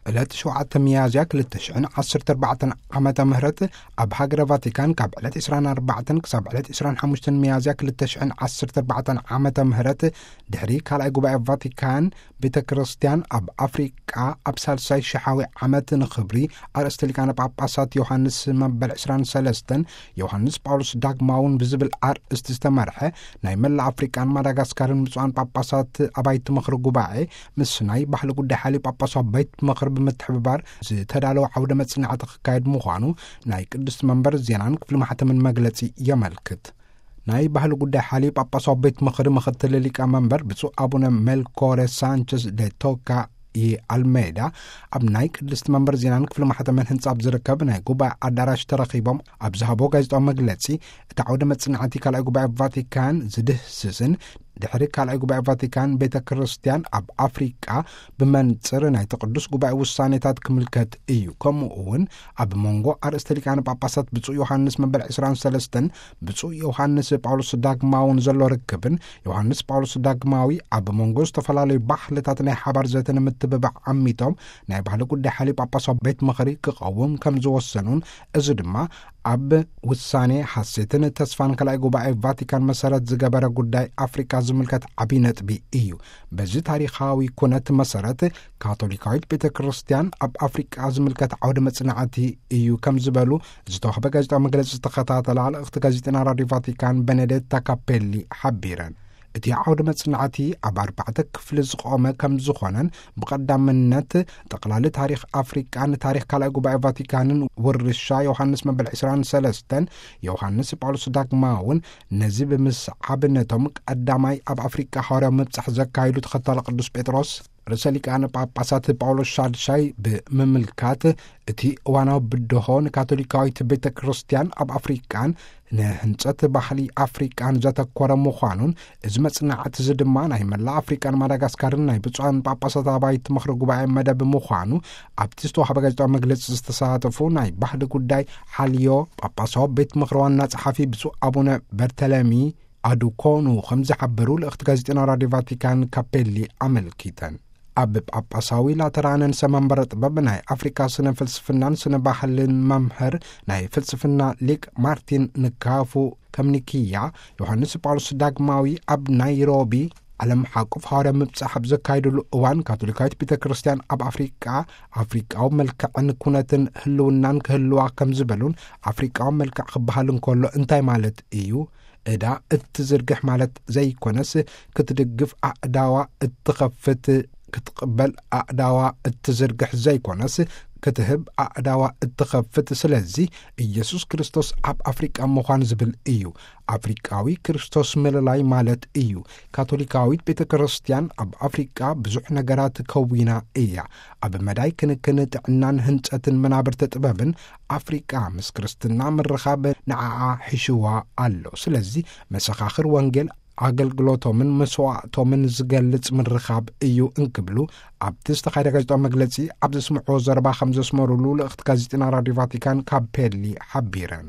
ዕለት ሸውዓተ ሚያዝያ ክልተ ሽሕን ዓሰርተ ኣርባዕተን ዓመተ ምህረት ኣብ ሃገረ ቫቲካን ካብ ዕለት ዕስራን ኣርባዕተን ክሳብ ዕለት ዕስራን ሓሙሽተን ሚያዝያ ክልተ ሽሕን ዓሰርተ ኣርባዕተን ዓመተ ምህረት፣ ድሕሪ ካልኣይ ጉባኤ ቫቲካን፣ ቤተ ክርስቲያን ኣብ ኣፍሪቃ ኣብ ሳልሳይ ሽሓዊ ዓመት ንኽብሪ ኣርእስተ ሊቃነ ጳጳሳት ዮሃንስ መበል ዕስራን ሰለስተን፣ ዮሃንስ ጳውሎስ ዳግማውን ብዝብል ኣርእስቲ ዝተመርሐ ናይ መላእ ኣፍሪቃን ማዳጋስካርን ብፁዓን ጳጳሳት ኣባይቲ ምኽሪ ጉባኤ ምስ ናይ ባህሊ ጉዳይ ሓልዮ ጳጳሳዊ ቤት ምኽሪ ብምትሕብባር ዝተዳለወ ዓውደ መጽናዕቲ ክካየድ ምዃኑ ናይ ቅድስቲ መንበር ዜናን ክፍሊ ማሕተምን መግለጺ የመልክት። ናይ ባህሊ ጉዳይ ሓልዮ ጳጳሳዊ ቤት ምኽሪ ምኽትል ሊቀ መንበር ብፁዕ ኣቡነ ሜልኮሬ ሳንቸዝ ደ ቶካ ይ ኣልሜዳ ኣብ ናይ ቅድስቲ መንበር ዜናን ክፍሊ ማሕተምን ህንጻ ኣብ ዝርከብ ናይ ጉባኤ ኣዳራሽ ተረኺቦም ኣብ ዝሃቦ ጋዜጣዊ መግለጺ፣ እቲ ዓውደ መጽናዕቲ ካልኣይ ጉባኤ ቫቲካን ዝድህስስን ድሕሪ ካልኣይ ጉባኤ ቫቲካን ቤተ ክርስቲያን ኣብ ኣፍሪቃ ብመንጽር ናይቲ ቅዱስ ጉባኤ ውሳኔታት ክምልከት እዩ። ከምኡ እውን ኣብ መንጎ ኣርእስተ ሊቃነ ጳጳሳት ብፁዕ ዮሃንስ መበል ዕስራን ሰለስተን ብፁዕ ዮሃንስ ጳውሎስ ዳግማውን ዘሎ ርክብን ዮሃንስ ጳውሎስ ዳግማዊ ኣብ መንጎ ዝተፈላለዩ ባህልታት ናይ ሓባር ዘተ ንምትብባዕ ዓሚቶም ናይ ባህሊ ጉዳይ ሓልዮ ጳጳሳዊ ቤት ምኽሪ ክቐውም ከም ዝወሰኑን፣ እዚ ድማ ኣብ ውሳኔ ሓሴትን ተስፋን ካልኣይ ጉባኤ ቫቲካን መሰረት ዝገበረ ጉዳይ ኣፍሪቃ ዝምልከት ዓብዪ ነጥቢ እዩ። በዚ ታሪኻዊ ኩነት መሰረት ካቶሊካዊት ቤተ ክርስቲያን ኣብ ኣፍሪቃ ዝምልከት ዓውደ መጽናዕቲ እዩ ከም ዝበሉ ዝተዋህበ ጋዜጣዊ መግለጺ ዝተኸታተላ ልእኽቲ ጋዜጠና ራዲዮ ቫቲካን ቤኔዴታ ካፔሊ ሓቢረን። እቲ ዓውደ መጽናዕቲ ኣብ ኣርባዕተ ክፍሊ ዝቖመ ከም ዝኾነን ብቐዳምነት ጠቕላሊ ታሪኽ ኣፍሪቃን ታሪኽ ካልኣይ ጉባኤ ቫቲካንን ውርሻ ዮሃንስ መበል ዕስራን ሰለስተን ዮሃንስ ጳውሎስ ዳግማውን ነዚ ብምስዓብ ነቶም ቀዳማይ ኣብ ኣፍሪቃ ሃዋርያዊ ምብጻሕ ዘካየዱ ተኸታሊ ቅዱስ ጴጥሮስ ርእሰ ሊቃነ ጳጳሳት ጳውሎስ ሻድሻይ ብምምልካት፣ እቲ እዋናዊ ብድሆ ንካቶሊካዊት ቤተ ክርስቲያን ኣብ ኣፍሪቃን ንህንጸት ባህሊ ኣፍሪቃን ዘተኮረ ምዃኑን፣ እዚ መጽናዕቲ እዚ ድማ ናይ መላእ ኣፍሪቃን ማዳጋስካርን ናይ ብፁዓን ጳጳሳት ኣባይቲ ምኽሪ ጉባኤ መደብ ምዃኑ ኣብቲ ዝተዋህበ ጋዜጣዊ መግለጺ ዝተሳተፉ ናይ ባህሊ ጉዳይ ሓልዮ ጳጳሳዊ ቤት ምኽሪ ዋና ጸሓፊ ብፁዕ ኣቡነ በርተለሚ ኣዱኮኑ ከም ዝሓበሩ ልእኽቲ ጋዜጠና ራዲዮ ቫቲካን ካፔሊ ኣመልኪተን። ኣብ ጳጳሳዊ ላተራንን ሰመንበረ ጥበብ ናይ ኣፍሪካ ስነ ፍልስፍናን ስነ ባህልን መምህር ናይ ፍልስፍና ሊቅ ማርቲን ንካፉ ከምኒክያ፣ ዮሃንስ ጳውሎስ ዳግማዊ ኣብ ናይሮቢ ዓለም ሓቁፍ ሃዋርያ ምብጻሕ ኣብ ዘካየድሉ እዋን፣ ካቶሊካዊት ቤተ ክርስቲያን ኣብ ኣፍሪቃ ኣፍሪቃዊ መልክዕን ኩነትን ህልውናን ክህልዋ ከም ዝበሉን ኣፍሪቃዊ መልክዕ ክበሃል እንከሎ እንታይ ማለት እዩ? ዕዳ እትዝርግሕ ማለት ዘይኮነስ፣ ክትድግፍ ኣእዳዋ እትኸፍት፣ ክትቕበል ኣእዳዋ እትዝርግሕ ዘይኮነስ፣ ክትህብ ኣእዳዋ እትኸፍት። ስለዚ ኢየሱስ ክርስቶስ ኣብ ኣፍሪቃ ምዃን ዝብል እዩ። ኣፍሪቃዊ ክርስቶስ ምልላይ ማለት እዩ። ካቶሊካዊት ቤተ ክርስቲያን ኣብ ኣፍሪቃ ብዙሕ ነገራት ከዊና እያ። ኣብ መዳይ ክንክን ጥዕናን ህንጸትን መናብርቲ ጥበብን ኣፍሪቃ ምስ ክርስትና ምርኻብ ንዓኣ ሒሽዋ ኣሎ። ስለዚ መሰኻኽር ወንጌል ኣገልግሎቶምን መስዋእቶምን ዝገልጽ ምርኻብ እዩ እንክብሉ ኣብቲ ዝተኻየደ ጋዜጣዊ መግለጺ ኣብ ዘስምዕዎ ዘረባ ከም ዘስመሩሉ ልእኽቲ ጋዜጠና ራዲዮ ቫቲካን ካፔሊ ሓቢረን።